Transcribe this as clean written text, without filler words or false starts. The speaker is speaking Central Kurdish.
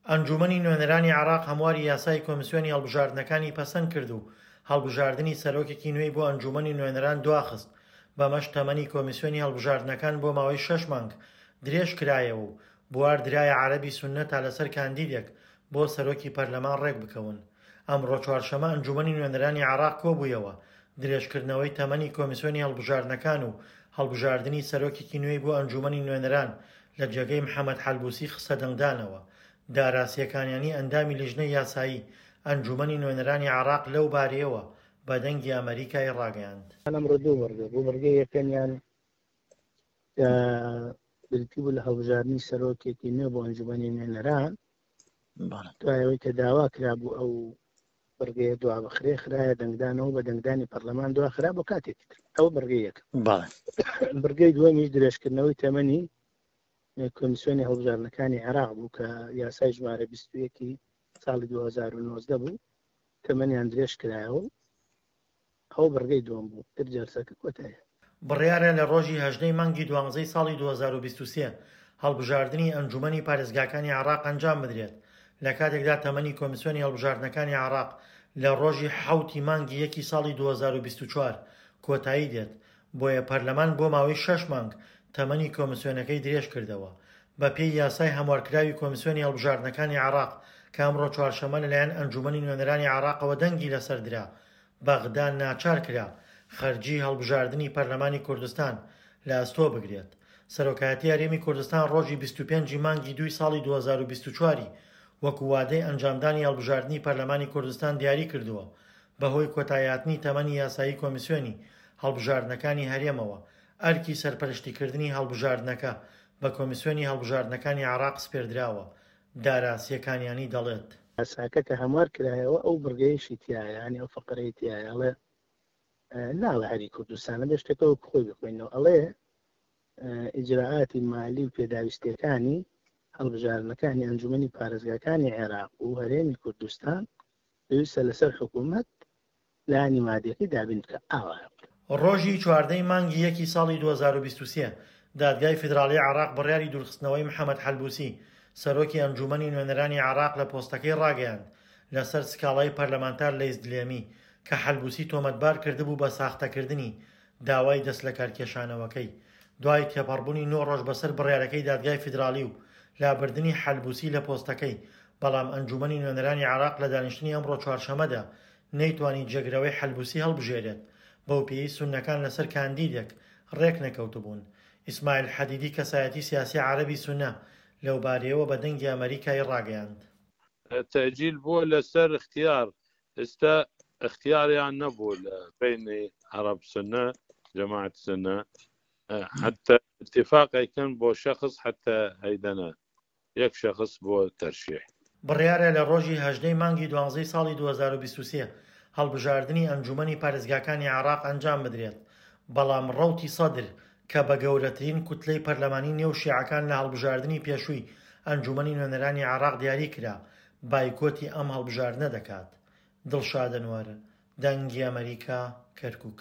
ئەنجوومەنی نوێنەرانی عێراق هەمواری یاسای کۆمیسیۆنی هەڵبژاردنەکانی پەسەند کرد و هەڵبژاردنی سەرۆکێکی نوێی بۆ ئەنجوومەنی نوێنەران دواخست، بەمەش تەمەنی کۆمیسیۆنی هەڵبژاردنەکان بۆ ماوەی شەش مانگ درێژ کرایەوە و بوار درایە عەرەبی سوننە تا لەسەر کاندیدێک بۆ سەرۆکی پەرلەمان ڕێکبکەون. ئەمڕۆ چوارشەمە ئەنجوومەنی نوێنەرانی عێراق کۆبوویەوە، درێژکردنەوەی تەمەنی کۆمیسیۆنی هەڵبژاردنەکان و هەڵبژاردنی سەرۆکێکی نوێی بۆ ئەنجوومەنی نوێنەران لە جێگەی محەمەد حەلبوسی خستە دەنگدانەوە. دارا سێکانیانی ئەندامی لیژنەی یاسایی ئەنجوومەنی نوێنەرانی عێراق لەو بارەیەوە بە دەنگی ئەمەریکای ڕاگەیاند. ئەمڕۆ دوو بڕگە بوو، بڕگەی یەکەمیان کە بریتی بوو لە هەڵبژاردنی سەرۆکێکی نوێ بۆ ئەنجومەنی نوێنەران دوای ئەوەی کە داوا کرابوو ئەو بڕگەیە دوا بخرێ خرایە دەنگدانەوە بە دەنگدانی پەرلەمان دوا خرا بۆ کاتێکی تر ئەوە بڕگەی یەکەم بڕگەی دووەمیش درێژکردنەوەی تەمەنی کۆمیسیۆنی هەڵبژاردنەکانی عێراق بوو کە یاسای ژمارە 21 ساڵی 2019 بوو تەمەنیان درێژ کرایەوە ئەوە بڕگەی دووەم بوو تر جەلسەکە کۆتایی هات. بڕیارە لە ڕۆژی 18 ی مانگی دوانزەی ساڵی 2023 هەڵبژاردنی ئەنجومەنی پارێزگاکانی عێراق ئەنجام بدرێت، لە کاتێکدا تەمەنی کۆمیسیۆنی هەڵبژاردنەکانی عێراق لە ڕۆژی حەوت ی مانگی یەکی ساڵی 2024 کۆتایی دێت، بۆیە پەرلەمان بۆ ماوەی شەش مانگ تەمەنی کۆمیسیۆنەکەی درێژکردەوە. بەپێی یاسای هەموارکراوی کۆمیسیۆنی هەڵبژاردنەکانی عێراق کە ئەمڕۆ چوارشەممە لەلایەن ئەنجومەنی نوێنەرانی عێراقەوە دەنگی لەسەر درا، بەغدا ناچار کرا خەرجیی هەڵبژاردنی پەرلەمانی کوردستان لە ئەستۆ بگرێت. سەرۆکایەتی هەرێمی کوردستان ڕۆژی 25 ی مانگی دووی ساڵی 2024 ی وەکو وادەی ئەنجامدانی هەڵبژاردنی پەرلەمانی کوردستان دیاری کردووە، بەهۆی کۆتاییهاتنی تەمەنی یاسایی کۆمیسیۆنی هەڵبژاردنەکانی هەرێمەوە، ئەرکی سەرپەرشتیکردنی هەڵبژاردنەکە بە کۆمیسیۆنی هەڵبژاردنەکانی عێراق سپێردراوە، دارا سێکانیانی دەڵێت. یاساکە کە هەموار کرایەوە ئەو بڕگەیەشی تیایە یانی ئەو فەقرەی تیایە ئەڵێ ناڵێ هەری کوردستانە بێ شتەکە وەک خۆی بخوێنەوە ئەڵێ ئیجرائاتی مالی و پێداویستیەکانی هەڵبژاردنەکانی ئەنجومەنی پارێزگاکانی عێراق و هەرێمی کوردستان پێویستە لەسەر حکوومەت لایەنی مادیەکەی دابین بکا ئاوایە. ڕۆژی 14 ی مانگی یەکی ساڵی 2023 دادگای فیدراڵی عێراق بڕیاری دوورخستنەوەی محەمەد حەلبوسی، سەرۆکی ئەنجوومەنی نوێنەرانی عێراق لە پۆستەکەی ڕاگەیاند، لەسەر سکاڵای پەرلەمانتار لەیس دلێمی، کە حەلبوسی تۆمەتبار کردبوو بە ساختەکردنی داوای دەستلەکارکێشانەوەکەی. دوای تێپەڕبوونی نۆ ڕۆژ بەسەر بڕیارەکەی دادگای فیدراڵی و لابردنی حەلبوسی لە پۆستەکەی، بەڵام ئەنجوومەنی نوێنەرانی عێراق لە دانیشتنی ئەمڕۆ چوارشەممەدا نەیتوانی جێگرەوەی حەلبوسی هەڵبژێرێت، بەوپێیەی سوننەکان لەسەر کاندیدێک رێکنەکەوتبوون. ئیسماعیل حەدیدی کەسایەتی سیاسی عەرەبی سوننە لەوبارەیەوە بە دەنگی ئەمەریکای راگەیاند. تەئجیل بووە لەسەر اختیار ئستا اختیاریان نەبوو لە بەینی عەرەب سوننە جەماعەت سوننە حەتە اتفاق ئەیکەن بۆ شەخس حەتە ئەیدەنە یەک شەخس بۆ تەرشیح. بڕیارە لە ڕۆژی 18 ی مانگی دوانزەی ساڵی 2023 هەڵبژاردنی ئەنجومەنی پارێزگاکانی عێراق ئەنجام بدرێت، بەڵام ڕەوتی سەدر کە بە گەورەترین کوتلەی پەرلەمانی نێو شیعەکان لە هەڵبژاردنی پێشووی ئەنجومەنی نوێنەرانی عێراق دیاری کرا، بایکۆتی ئەم هەڵبژاردنە دەکات. دڵشاد ئەنوەر، دەنگی ئەمەریکا، کەرکوک.